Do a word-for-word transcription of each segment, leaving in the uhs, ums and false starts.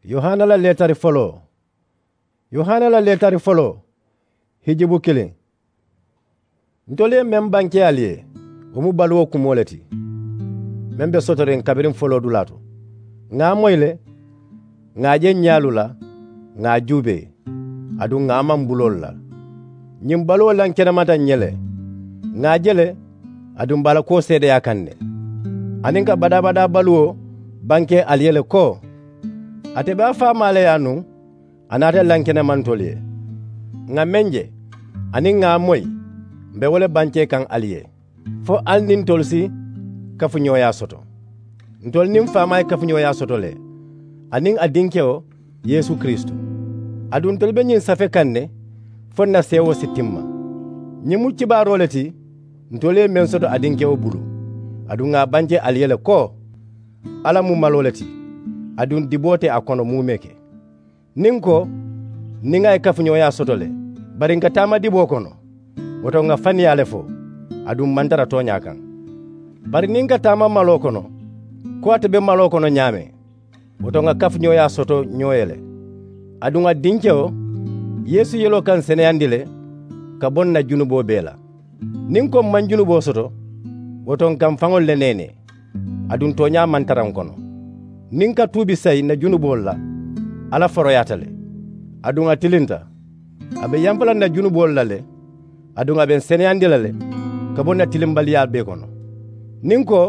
Yohana la leetari foloo. Yohana la leetari foloo. Hijibu kiliŋ. Ntolu ye meŋ banke ali ye, wo mu baluwo kumoo le ti, meŋ be sotoriŋ kabiriŋ foloodulaa to. Ŋà a moyi le, ŋà a je ǹ ñaalu la, ŋà a juubee, aduŋ ŋà a maŋ buloolu la. Ñiŋ baluwo lankenemata ǹ ye le, ŋà a je le, aduŋ m̀ be a la kuwo seedeyaa kaŋ ne. Aniŋ ka badaa-badaa baluwo banke ali ye le ko, ate be a faamaa le ye a nuŋ, a naata lankenema ntolu ye. Ŋà meŋ je, aniŋ ŋà a moyi, m̀ be wo le bankee kaŋ ali ye, fo ali niŋ ntolu si kafuñooyaa soto. Ntolu niŋ faamaa ye kafuñooyaa soto le, aniŋ a dinkewo yeesu kiristu. Aduŋ ntolu be ñiŋ safe kaŋ ne, fo ǹ na seewoo si timma. Ñiŋ mu kibaaroo le ti, ntolu ye meŋ soto a dinkewo bulu, aduŋ ŋà a bance ali ye le ko, alla mu maloo le ti, aduŋ diboo te a kono muumee ke. Niŋ ǹ ko, niŋ a ye kafuñooyaa soto le, bari ǹ ka taama diboo kono, wo to ŋà faniyaa le fo, aduŋ m̀ maŋ tara tooñaa kaŋ. Bari niŋ ǹ ka taama maloo kono, ko ate be maloo kono ñaameŋ, wo to ŋà kafuñooyaa soto ñoo ye le. Aduŋ a dinkewo, yeesu yeloo ka ǹ seneyandi le, ka bo ǹ na junuboo bee la. Niŋ ǹ ko m̀ maŋ junuboo soto, wo to ǹ ka m̀ faŋolu le neenee, aduŋ tooñaa maŋ tara ǹ kono. Niŋ ǹ ka tuubi sayi ǹ na junuboolu la, alla foroyaata le, aduŋ a tilinta. A be yampa la ǹ na junuboolu la le, aduŋ a be ǹ seneyandi la le, ka bo ǹ na tilimbaliyaa bee kono. Niŋ ǹ ko,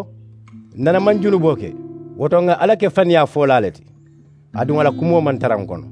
ǹ nana maŋ junuboo ke, wo to ŋà alla ke faniyaa foolaa le ti, aduŋ a la kumoo maŋ tara ǹ kono.